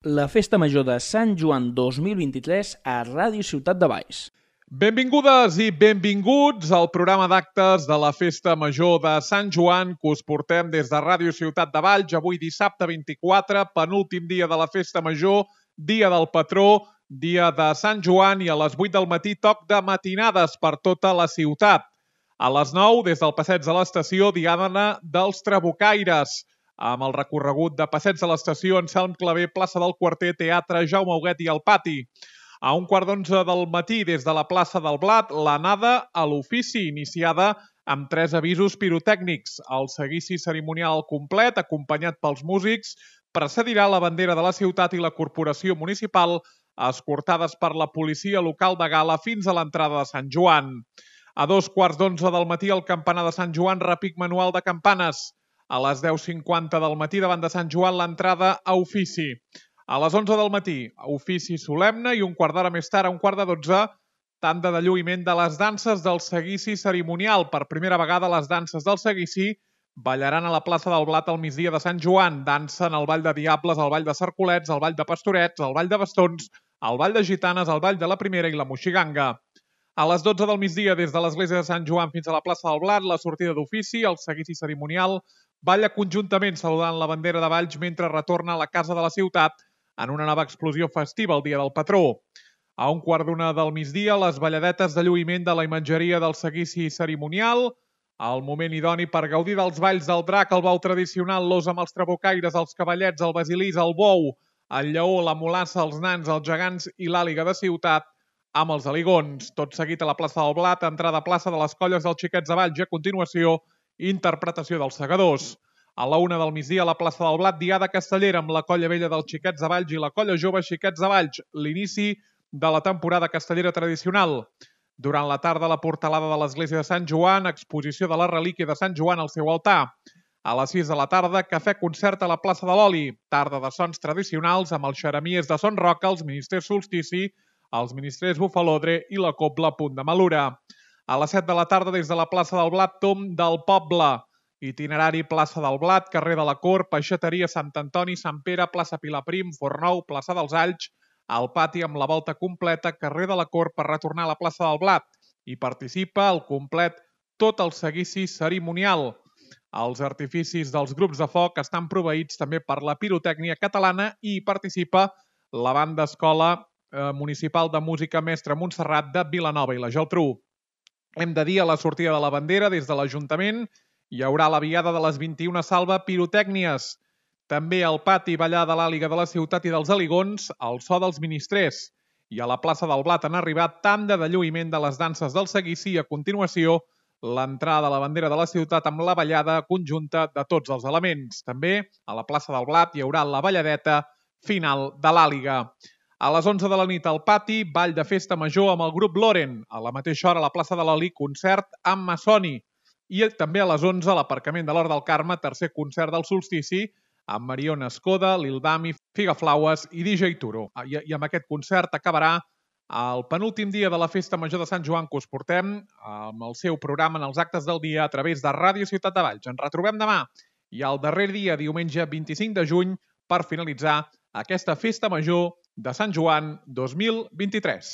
La Festa Major de Sant Joan 2023 a Ràdio Ciutat de Valls. Benvingudes i benvinguts al programa d'actes de la Festa Major de Sant Joan que us portem des de Ràdio Ciutat de Valls, avui dissabte 24, penúltim dia de la Festa Major, dia del patró, dia de Sant Joan, i a les 8 del matí toc de matinades per tota la ciutat. A les 9, des del passeig de l'estació, diada dels Trabucaires, amb el recorregut de passeig de l'estació, Anselm Clavé, plaça del Quarter, teatre Jaume Huguet i el Pati. A 11:15 del matí, des de la plaça del Blat, l'anada a l'ofici, iniciada amb 3 avisos pirotècnics. El seguici cerimonial al complet, acompanyat pels músics, precedirà la bandera de la ciutat i la corporació municipal, escortades per la policia local de Gala fins a l'entrada de Sant Joan. A 2:15 del matí, el campanar de Sant Joan, repic manual de campanes. A les 10:50 del matí, davant de Sant Joan, l'entrada a ofici. A les 11 del matí, ofici solemne, i un quart d'hora més tard, a 11:45, tanda de lluïment de les danses del seguici cerimonial. Per primera vegada, les danses del seguici ballaran a la plaça del Blat al migdia de Sant Joan. Dansen el ball de Diables, el ball de Cercolets, el ball de Pastorets, el ball de Bastons, el ball de Gitanes, el ball de la Primera i la Moixiganga. A les 12 del migdia, des de l'església de Sant Joan fins a la plaça del Blat, la sortida d'ofici, el seguici cerimonial, balla conjuntament saludant la bandera de Valls mentre retorna a la casa de la ciutat en una nova explosió festiva el dia del patró. A 1:15 del migdia, les balladetes de lluïment de la imatgeria del seguici cerimonial, el moment idoni per gaudir dels balls del drac, el bou tradicional, l'os amb els trabucaires, els cavallets, el basilís, el bou, el lleó, la mulassa, els nans, els gegants i l'àliga de ciutat amb els aligons. Tot seguit a la plaça del Blat, entrada a plaça de les Colles dels Xiquets de Valls i a continuació interpretació dels segadors. A la 1 del migdia, a la plaça del Blat, diada castellera amb la Colla Vella dels Xiquets de Valls i la Colla Jove Xiquets de Valls, l'inici de la temporada castellera tradicional. Durant la tarda, la portalada de l'església de Sant Joan, exposició de la relíquia de Sant Joan al seu altar. A les 6 de la tarda, cafè-concert a la plaça de l'Oli, tarda de sons tradicionals amb els xeremies de Son Roca, els ministres Solstici, els ministres Bufalodre i la Cobla Punt de Malura. A les 7 de la tarda, des de la plaça del Blat, tomb del poble. Itinerari plaça del Blat, carrer de la Cort, peixateria Sant Antoni, Sant Pere, plaça Pilaprim, Fornou, plaça dels Alls, al pati amb la volta completa, carrer de la Cort per retornar a la plaça del Blat. Hi participa al complet tot el seguici cerimonial. Els artificis dels grups de foc estan proveïts també per la pirotècnia catalana i hi participa la banda escola municipal de música Mestre Montserrat de Vilanova i la Geltrú. Hem de dir, a la sortida de la bandera des de l'Ajuntament hi haurà la viada de les 21 salva pirotècnies. També al pati ballar de l'àliga de la ciutat i dels aligons, el so dels ministrers. I a la plaça del Blat han arribat tanda de lluïment de les danses del seguici i a continuació l'entrada de la bandera de la ciutat amb la ballada conjunta de tots els elements. També a la plaça del Blat hi haurà la balladeta final de l'àliga. A les 11 de la nit al pati, ball de festa major amb el grup Loren. A la mateixa hora a la plaça de l'Oli, concert amb Massoni. I també a les 11 a l'aparcament de l'Hort del Carme, tercer concert del solstici, amb Mariona Escoda, Lil Dami, Figaflaues i DJ Turo. I amb aquest concert acabarà el penúltim dia de la Festa Major de Sant Joan que us portem amb el seu programa en els actes del dia a través de Ràdio Ciutat de Valls. Ens retrobem demà i el darrer dia, diumenge 25 de juny, per finalitzar aquesta Festa Major de Sant Joan 2023.